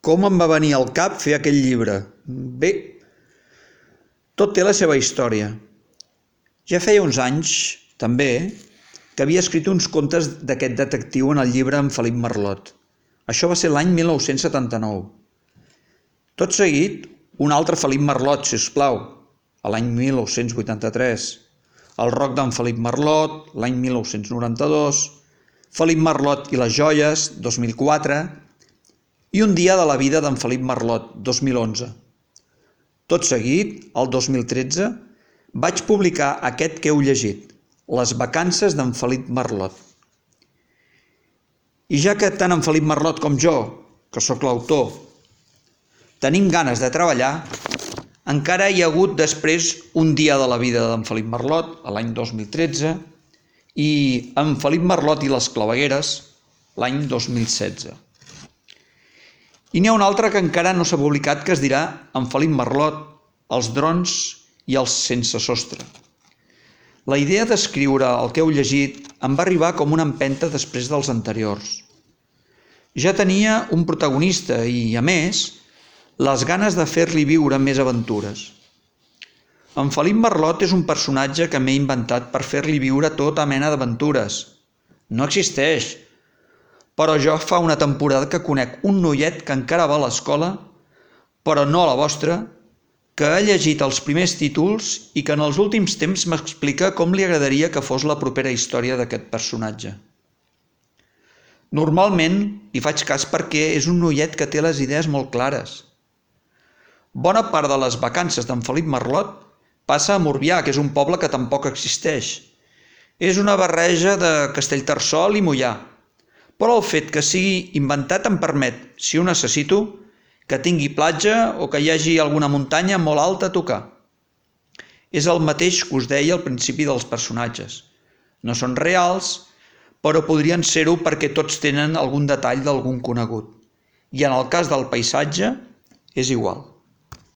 Com em va venir al cap fer aquell llibre? Bé, tot té la seva història. Ja feia uns anys, també, que havia escrit uns contes d'aquest detectiu en el llibre en Felip Marlot. Això va ser l'any 1979. Tot seguit, un altre Felip Marlot, si us plau, a l'any 1983. El roc d'en Felip Marlot, l'any 1992. Felip Marlot i les joies, 2004. I un dia de la vida d'en Felip Marlot, 2011. Tot seguit, el 2013, vaig publicar aquest que heu llegit, Les vacances d'en Felip Marlot. I ja que tant en Felip Marlot com jo, que sóc l'autor, tenim ganes de treballar, encara hi ha hagut després un dia de la vida d'en Felip Marlot, l'any 2013, i en Felip Marlot i les clavegueres, l'any 2016. I n'hi ha un altre que encara no s'ha publicat que es dirà en Felip Marlot, els drons i els sense sostre. La idea d'escriure el que heu llegit em va arribar com una empenta després dels anteriors. Ja tenia un protagonista i, a més, les ganes de fer-li viure més aventures. En Felip Marlot és un personatge que m'he inventat per fer-li viure tota mena d'aventures. No existeix, però jo fa una temporada que conec un noiet que encara va a l'escola, però no a la vostra, que ha llegit els primers títols i que en els últims temps m'explica com li agradaria que fos la propera història d'aquest personatge. Normalment li faig cas perquè és un noiet que té les idees molt clares. Bona part de les vacances d'en Felip Marlot passa a Morbià, que és un poble que tampoc existeix. És una barreja de Castellterçol i Moià, però el fet que sigui inventat em permet, si ho necessito, que tingui platja o que hi hagi alguna muntanya molt alta a tocar. És el mateix que us deia al principi dels personatges. No són reals, però podrien ser-ho perquè tots tenen algun detall d'algun conegut. I en el cas del paisatge, és igual.